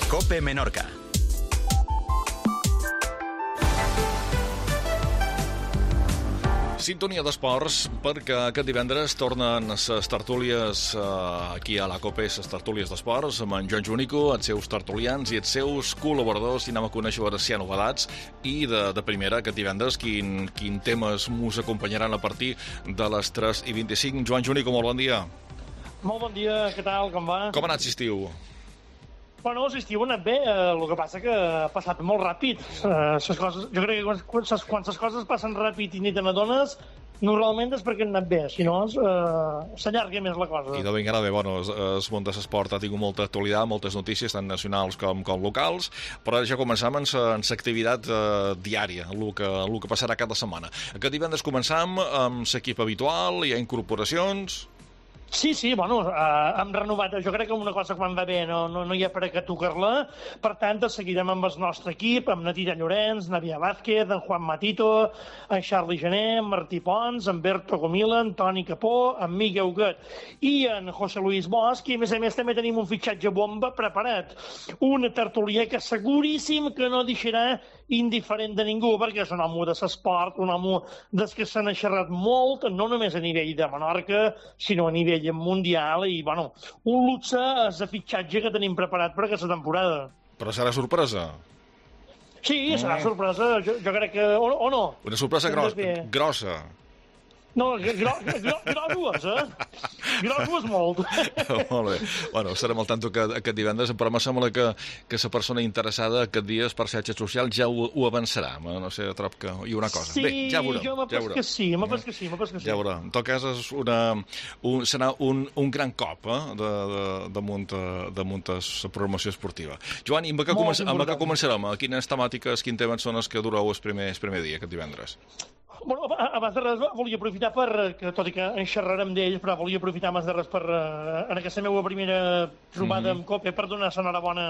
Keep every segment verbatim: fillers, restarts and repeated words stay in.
COPE Menorca. Sintonia d'esports, perquè aquest divendres tornen les tertúlies eh, aquí a la COPE, les tertúlies d'esports, amb en Joan Junico, els seus tertulians i els seus col·laboradors, i anem a conèixer veure si hi ha novedats. I de, de primera, aquest divendres, quin, quin temes mos acompanyaran a partir de les tres i vint-i-cinc. Joan Junico, molt bon dia. Molt bon dia, què tal, com va? Com ha anat l'estiu? Bueno, l'estiu ha anat bé, eh, el que passa que ha passat molt ràpid. Eh, ses coses, jo crec que quan, quan, ses, quan les coses passen ràpid i ni te n'adones, normalment és perquè han anat bé, si no eh, s'allarga més la cosa. I de ben bé, bueno, el món de l'esport ha tingut molta actualitat, moltes notícies, tant nacionals com, com locals, però ja començam amb l'activitat eh, diària, el que, el que passarà cada setmana. Aquest divendres començam amb l'equip habitual, hi ha incorporacions... Sí, sí, bueno, eh, hem renovat, jo crec que una cosa quan va bé no, no, no hi ha per a què tocar-la, per tant, seguirem amb el nostre equip, amb Natilla Llorenç, Navia Vázquez, en Juan Matito, en Charlie Gené, en Martí Pons, en Berto Comila, en Toni Capó, en Miguel Huguet i en José Luis Bosch, i a més a més també tenim un fitxatge bomba preparat, una tertulia que seguríssim que no deixarà indiferent de ningú, perquè és un home de l'esport, un home des que se n'ha xerrat molt, no només a nivell de Menorca, sinó a nivell mundial, i bueno, un luxe és el fitxatge que tenim preparat per aquesta temporada. Però serà sorpresa? Sí, serà sorpresa, jo, jo crec que... O, o no? Una sorpresa gros, grossa. No, gro, gro, grosses, eh? Grosses molt. Molt bé. Bueno, estarem al tanto que, aquest divendres, però em sembla que, que la persona interessada aquest dia per xarxes socials ja ho, ho avançarà. No sé, trob que hi ha una cosa. Sí, bé, ja veurem. Jo m'ha ja pas que sí, m'ha pas que sí, m'ha pas que sí. Ja veurem. En tot cas, és una, un, serà un, un gran cop eh, de, de, de munt de la programació esportiva. Joan, amb què, comença, amb què començarem? A quines temàtiques, quins temes són els que dureu el primer, el primer dia, aquest divendres? Bueno, abans de res volia aprofitar per, que tot i que en xerrarem d'ells, però volia aprofitar abans de res per, en aquesta meva primera trobada mm-hmm. amb COPE, per donar l'enhorabona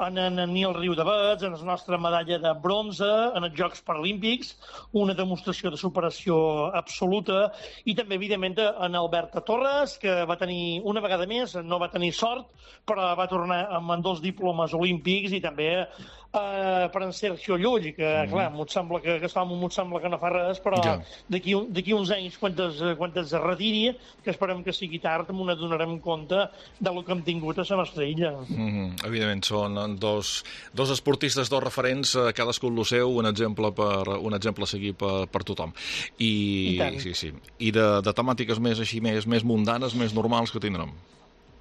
en, en, en Nil Riudavets, en la nostra medalla de bronze en els Jocs Paralímpics, una demostració de superació absoluta, i també, evidentment, en Alberta Torres, que va tenir, una vegada més, no va tenir sort, però va tornar amb dos diplomes olímpics, i també eh, per en Sergio Llull, que, mm. clar, m'ho sembla que, que, m'ho sembla que no fa res, però ja. d'aquí uns anys, quan es, quan es retiri, que esperem que sigui tard, m'ho donarem compte de lo que hem tingut a la nostra illa. Mm-hmm. Evidentment, són dos, dos esportistes, dos referents, cadascun el seu, un exemple per un exemple a seguir per, per tothom. I, I, sí, sí. I de, de temàtiques més així, més, més mundanes, més normals que tindrem.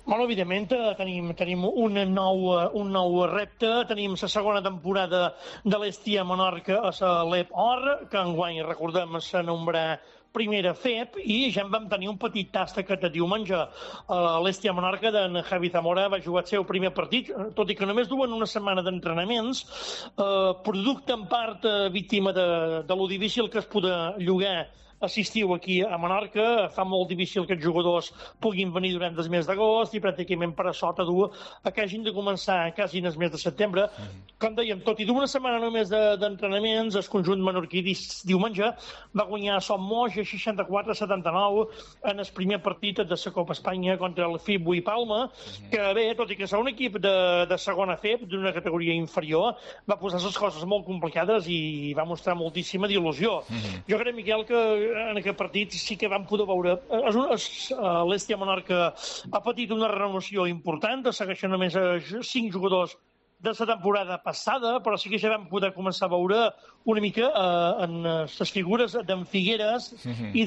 Bueno, evidentment, tenim, tenim un, nou, un nou repte, tenim la segona temporada de l'Estia Menorca a la L E P Or, que enguany, recordem, s'anomenarà primera F E P, i ja en vam tenir un petit tast aquest diumenge. L'Estia Menorca d'en Javi Zamora va jugar el seu primer partit, tot i que només duen una setmana d'entrenaments, eh, producte en part eh, víctima de, de lo difícil que es poder llogar assistiu aquí a Menorca, fa molt difícil que els jugadors puguin venir durant el mes d'agost i pràcticament per a sota dur a que hagin de començar quasi en el mes de setembre. Mm. Com dèiem, tot i d'una setmana només d'entrenaments, de, el conjunt menorquí diumenge va guanyar Som Moix a seixanta-quatre a setanta-nou en el primer partit de la Copa Espanya contra el F I B i Palma, mm. que bé, tot i que és un equip de, de segona F E P, d'una categoria inferior, va posar les coses molt complicades i va mostrar moltíssima d'il·lusió. Mm. Jo crec, Miquel, que en aquest partit sí que vam poder veure. L'Estia Menorca ha patit una renovació important, segueixen només cinc jugadors de la temporada passada, però sí que ja vam poder començar a veure una mica eh, en les figures d'en Figueres uh-huh. i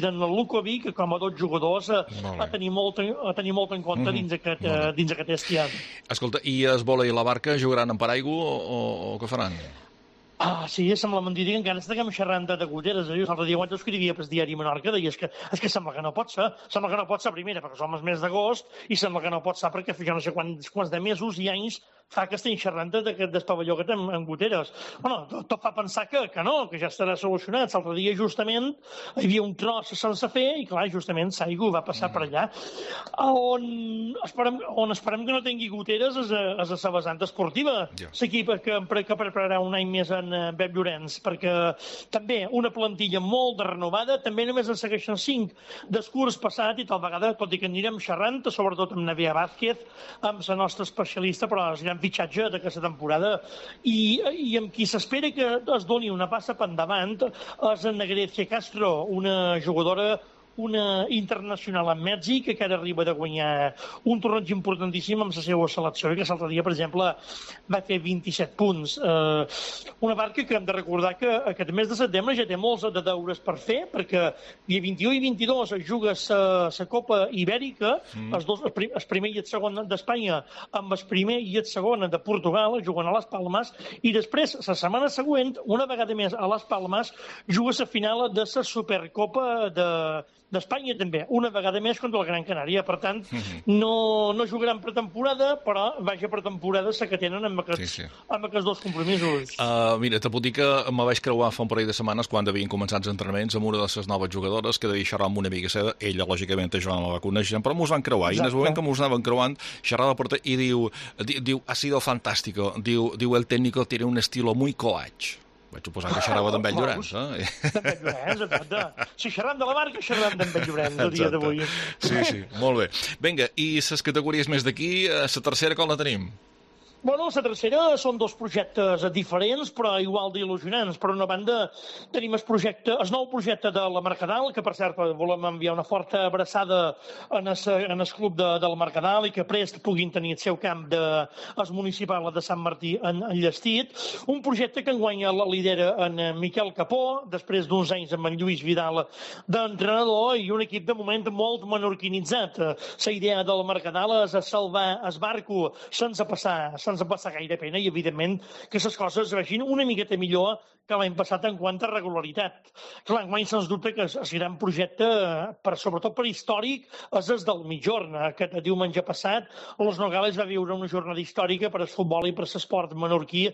d'en Lukovic com a dos jugadors eh, a, tenir molt, a tenir molt en compte uh-huh. dins aquest, eh, dins aquest Estia. Escolta, i es vòlei i la barca jugaran en paraigua o, o, o què faran? Ah, sí, sembla mentida que encara estiguem xerrant de Guteres. Eh? L'altre dia quan escrivia pel diari Menorca deies que és que sembla que no pot ser. Sembla que no pot ser, primera, perquè som el mes d'agost, i sembla que no pot ser perquè jo no sé quants, quants de mesos i anys fa que estem xerrant d'aquest pavelló que tenim en Guteres. Bueno, tot, tot fa pensar que, que no, que ja estarà solucionat. L'altre dia, justament, hi havia un tros sense fer i, clar, justament, Saigo va passar mm. per allà. On esperem, on esperem que no tingui Guteres és a, és a la vessant esportiva. Yeah. L'equip que, que prepararà un any més en Pep Llorenç, perquè també una plantilla molt de renovada, també només en segueixen cinc del curs passat i tal vegada, tot i que anirem xerrant, sobretot amb Navia Vázquez, amb la nostra especialista, però anirem fitxatge d'aquesta temporada i, i amb qui s'espera que es doni una passa per endavant és en Grecia Castro, una jugadora una internacional en Mèxic que ara arriba de guanyar un torneig importantíssim amb la seva selecció i que l'altre dia, per exemple, va fer vint-i-set punts. Eh, una barca que hem de recordar que aquest mes de setembre ja té molts de deures per fer, perquè dia vint-i-u i vint-i-dos es juga la Copa Ibèrica, mm. els dos, el primer i el segon d'Espanya amb el primer i el segon de Portugal, juguen a les Palmes, i després, la setmana següent, una vegada més a les Palmes, juga la final de la Supercopa de d'Espanya també, una vegada més contra el Gran Canària. Per tant, no, no jugaran pretemporada, però vaja pretemporada la que tenen amb aquests, sí, sí. amb aquests dos compromisos. Uh, mira, te puc dir que me vaig creuar fa un parell de setmanes quan havien començat els entrenaments amb una de les noves jugadores que devia xerrar amb una amiga seva. Ella, lògicament, jo no la va conèixer, però mos van creuar. Exacte. I en el moment que mos anaven creuant, xerrava per i diu, diu, ha sido fantástico. Diu, diu, el técnico tiene un estilo muy coach. Vaig suposar que xerrava d'en Ben Llorenç, eh? D'en Ben Llorenç, exacte. Si xerram de la marca, xerram d'en Ben Llorenç el dia d'avui. Sí, sí, molt bé. Vinga, i les categories més d'aquí, la tercera com la tenim? Bueno, la tercera són dos projectes diferents, però igual d'il·lusionants. Per una banda, tenim el projecte, el nou projecte de la Mercadal, que per cert volem enviar una forta abraçada en el, en el club de, de la Mercadal i que prest puguin tenir el seu camp de, el municipal de Sant Martí en, en Llestit. Un projecte que enguanya la lidera en Miquel Capó, després d'uns anys amb en Lluís Vidal d'entrenador, i un equip de moment molt menorquinitzat. La idea de la Mercadal és salvar el barco sense passar, sense sense passar gaire pena i, evidentment, que les coses vagin una miqueta millor que l'any passat en quant a regularitat. Clar, enguany sens dubte que el gran projecte, per, sobretot per històric, és el del Migjorn. Aquest diumenge passat, Los Nogales va viure una jornada històrica per al futbol i per l'esport menorquí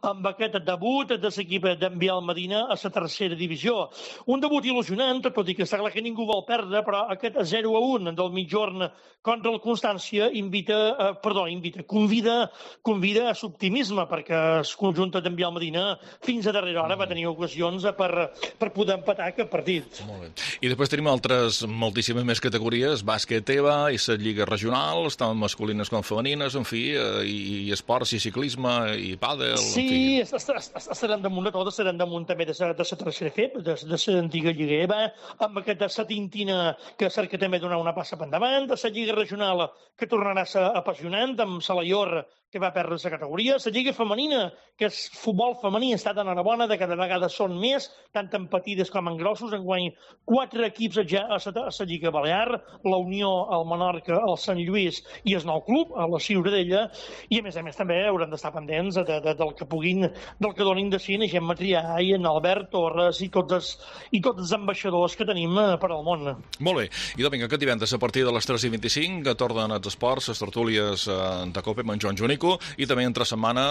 amb aquest debut de l'equip d'en Biel Medina a la tercera divisió. Un debut il·lusionant, tot i que està clar que ningú vol perdre, però aquest zero a un del Migjorn contra el Constància invita, eh, perdó, invita, convida, convida a l'optimisme, perquè el conjunt d'en Biel Medina fins a darrera hora va tenir ocasions per, per poder empatar aquest partit. Molt bé. I després tenim altres moltíssimes més categories, bàsquet E V A i les lligues regionals, tant masculines com femenines, en fi, i, i esports, i ciclisme, i pàdel... Sí, estaran damunt de tot, estaran damunt també de la tercera F E P, de l'antiga lliga E V A, amb aquesta satintina que cerca també donar una passa per endavant, de la lliga regional que tornarà a ser apassionant, amb Salaior, que va perdre la categoria, la lliga femenina, que és futbol femení, està tan enhorabona, de cada vegada són més, tant en petites com en grossos, enguany quatre equips ja a la, a la Lliga Balear, la Unió, el Menorca, el Sant Lluís i el nou club, a la Ciutadella, i a més a més també hauran d'estar pendents de, de, del que puguin, del que donin de si en Gemma Trià i en Albert Torres i tots els, i tots els ambaixadors que tenim per al món. Molt bé, i doncs vinga, aquest divendres a partir de les tres i vint-i-cinc tornen els esports, les tertúlies de Cope amb en Joan Junico, i també entre setmana,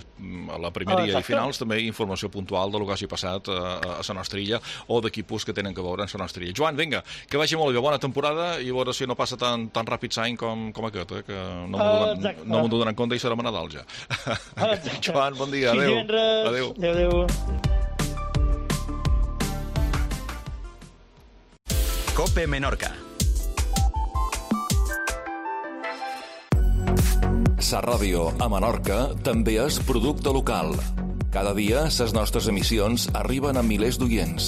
eh, a la primera ah, i finals, també informació puntual del que hagi passat eh, a la nostra illa o d'equipos que tenen que veure en la nostra illa. Joan, vinga, que vagi molt bé, bona temporada i a veure si no passa tan, tan ràpid l'any com, com aquest, eh, que no m'ho uh, no donen compte i serà a Nadal ja. Joan, bon dia, adéu. Adéu. Adéu. Cope Menorca. Sa Ràdio a Menorca també és producte local. Cada dia, les nostres emissions arriben a milers d'oients.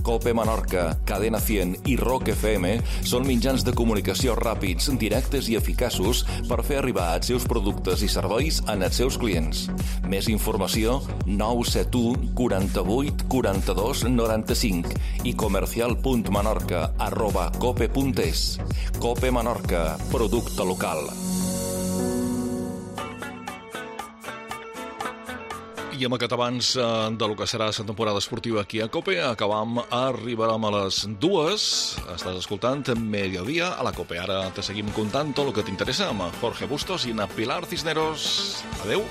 Cope Menorca, Cadena cent i Rock F M són mitjans de comunicació ràpids, directes i eficaços per fer arribar els seus productes i serveis als seus clients. Més informació, nou set u quaranta-vuit quaranta-dos noranta-cinc i comercial punt menorca arroba cope punt es. Cope Menorca, producte local. I amb aquest abans del que serà la temporada esportiva aquí a Cope, acabam, arribarem a les dues. Estàs escoltant Mediodía a la Cope. Ara te seguim contant tot el que t'interessa amb Jorge Bustos i na Pilar Cisneros. Adeu.